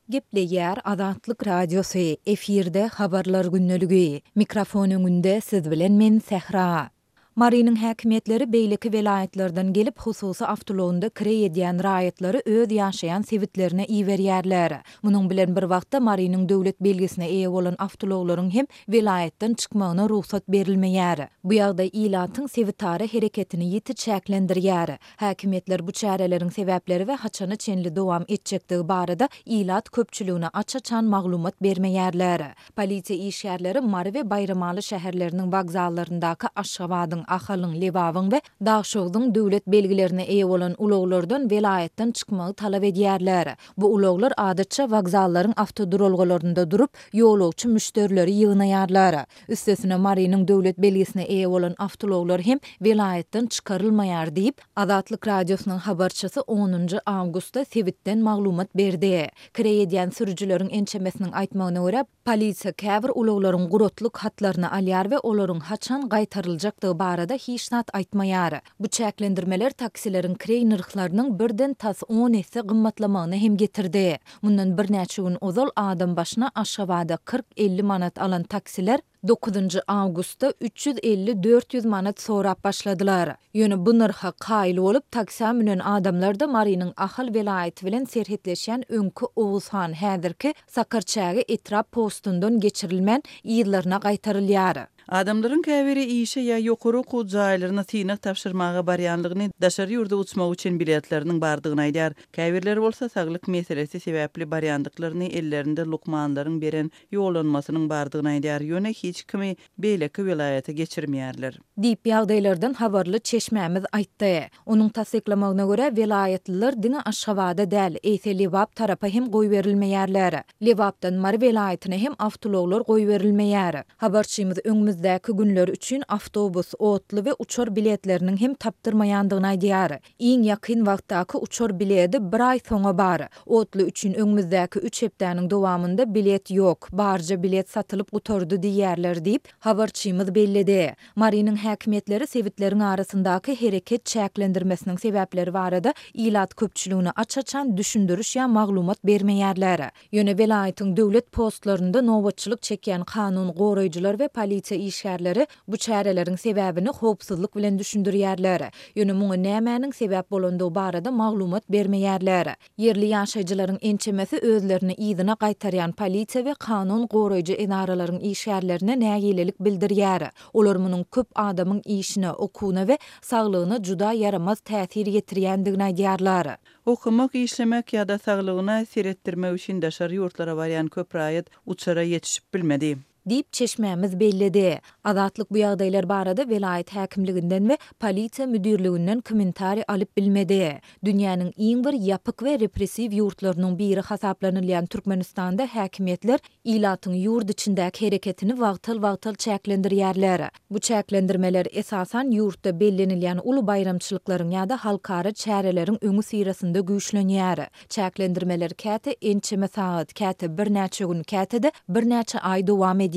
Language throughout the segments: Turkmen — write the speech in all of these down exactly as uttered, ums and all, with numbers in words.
Gepleýär Azatlyk Radiosy, efirde Habarlar gündeligi. Mikrofon öňünde siz bilen men Sähra. Marynyň häkimiýetleri beýleki welaýatlardan gelip, hususy awtoulagynda kireý edýän raýatlary öz ýaşaýan sebitlerine iberýärler. Munuň bilen bir wagtda Marynyň döwlet belgisine eýe bolan awtoulaglaryň hem welaýatdan çykmagyna rugsat berilmeýär. Bu ýagdaý ilatyň sebitara hereketini ýiti çäklendirýär. Häkimiýetler bu çäreleriň sebäpleri we haçana çenli dowam etjekdigi barada ilat köpçüligine aç-açan maglumat bermeýärler. Polisiýa işgärleri Mary we Baýramaly şäherleriniň wokzallaryndaky Aşgabadyň, Ahalyň, Lebabyň we Daşogzuň döwlet belgilerine eýe bolan ulaglardan welaýatdan çykmagy talap edýärler. Bu ulaglar adatça wokzallaryň awtoduralgalarynda durup, ýolagçy müşderileri ýygnaýarlar. Üstesine Marynyň döwlet belgisine eýe bolan awtoulaglar hem welaýatdan çykarylmaýar diýip, Azatlyk Radiosynyň habarçysy onunjy awgustda sebitden maglumat berdi. Kireý edýän sürüjileriň ençemesiniň aýtmagyna görä, polisiýa käbir ulaglaryň guratlyk hatlaryny alýar we olaryň haçan gaýtaryljakdygy barada hiç zat aýtmaýar. Bu çäklendirmeler taksileriň kireý nyrhlarynyň birden tas on esse gymmatlamagyna hem getirdi. Mundan birnäçe gün ozal adam başyna Aşgabada kyrk-elli manat alan taksiler dokuzynjy awgustda üç ýüz elli-dört ýüz manat sorap başladylar. Ýöne bu nyrha kaýyl bolup, taksä münen adamlar-da Marynyň Ahal welaýaty bilen serhetleşýän öňki Oguzhan, häzirki Sakarçäge etrap postundan geçirilmän, yzlaryna gaýtarylýar. Adamlaryň käbiri işe ýa ýokary okuw jaýlaryna synag tabşyrmaga barýanlygyny, daşary ýurda uçmak üçin biletleriniň bardygyny aýdýar. Käbirleri bolsa saglyk meselesi sebäpli barýandyklaryny, ellerinde lukmanlaryň beren ýollanmasynyň bardygyny aýdýar. Ýöne hiç kimi beýleki welaýata geçirmeýärler. Diýip, ýagdaýlardan habarly çeşmämiz aýtdy. Onuň tassyklamagyna görä, welaýatlylar diňe Aşgabada däl, eýse Lebap tarapa hem goýberilmeýärler. Lebapdan Mary welaýatyna hem awtoulaglar goýberilmeýär. Habarçymyz öňümizdäki günler üçin awtobus, otly we uçar biletleriniň hem tapdyrmaýandygyny aýdýar. Iň ýakyn wagtdaky uçar biledi bir aý soňa bar. Otly üçin öňümizdäki üç hepdäniň dowamynda bilet ýok, barja bilet satylyp gutardy diýýärler diýip, habarçymyz belledi. Marynyň häkimiýetleri sebitleriň arasyndaky hereket çäklendirmesiniň sebäpleri barada ilat köpçüligine aç-açan düşündiriş ýa maglumat bermeýärler. Ýöne welaýatyň döwlet postlarynda nobatçylyk çekýän kanun goraýjylar we polisiýa işgärleri bu çäreleriň sebäbini howpsuzlyk bilen düşündirýärler. Ýöne muňa nämäniň sebäp bolandygy barada maglumat bermeýärler. Ýerli ýaşaýjylaryň ençemesi özlerini yzyna gaýtarýan polisiýa we kanun goraýjy edaralaryň işgärlerine nägilelik bildirýär. Olar munuň köp adamyň işine, okuwyna we saglygyna juda ýaramaz täsir ýetirýändigini aýdýarlar. Okamak, işlemek ýa-da saglygyna seretdirmek üçin daşary ýurtlara barýan köp raýat uçara ýetişip bilmedi. Diýip, çeşmämiz belledi. Azatlyk bu ýagdaýlar barada welaýat häkimliginden we polisiýa müdirliginden kommentariý alyp bilmedi. Dünýäniň iň bir ýapyk we repressiw ýurtlarynyň biri hasaplanylýan Türkmenistanda häkimiýetler ilatyň ýurt içindäki hereketini wagtal-wagtal çäklendirýärler. Bu çäklendirmeler esasan ýurtda bellenilýän uly baýramçylyklaryň ýa-da halkara çäreleriň öňüsyrasynda güýçlenýär. Çäklendirmeler käte ençeme sagat, käte birnäçe gün, käte-de birnäçe aý dowam edýär.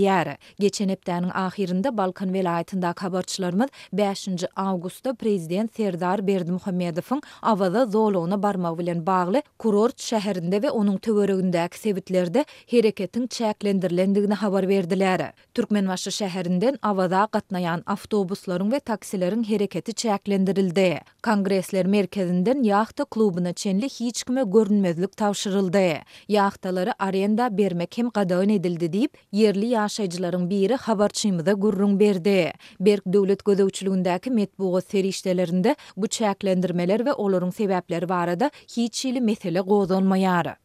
Geçen hepdäniň ahyrynda Balkan welaýatyndaky habarçylarymyz bäşinji awgustda prezident Serdar Berdimuhamedowyň Awaza zolagyna barmagy bilen bagly kurort şäherinde we onuň töweregindäki sebitlerde hereketiň çäklendirilendigini habar berdiler. Türkmenbaşy şäherinden Awaza gatnaýan awtobuslaryň we taksileriň hereketi çäklendirildi. Kongresler merkezinden ýahta klubyna çenli hiç kime görünmezlik tabşyryldy. Ýahtalary arenda bermek hem gadagan edildi diýip, ýerli ýaşaýjylaryň biri habarçymyza gürrüň berdi. Berk döwlet gözegçiligindäki metbugat serişdelerinde bu çäklendirmeler we olaryň sebäpleri barada hiç hili mesele gozgalmaýar.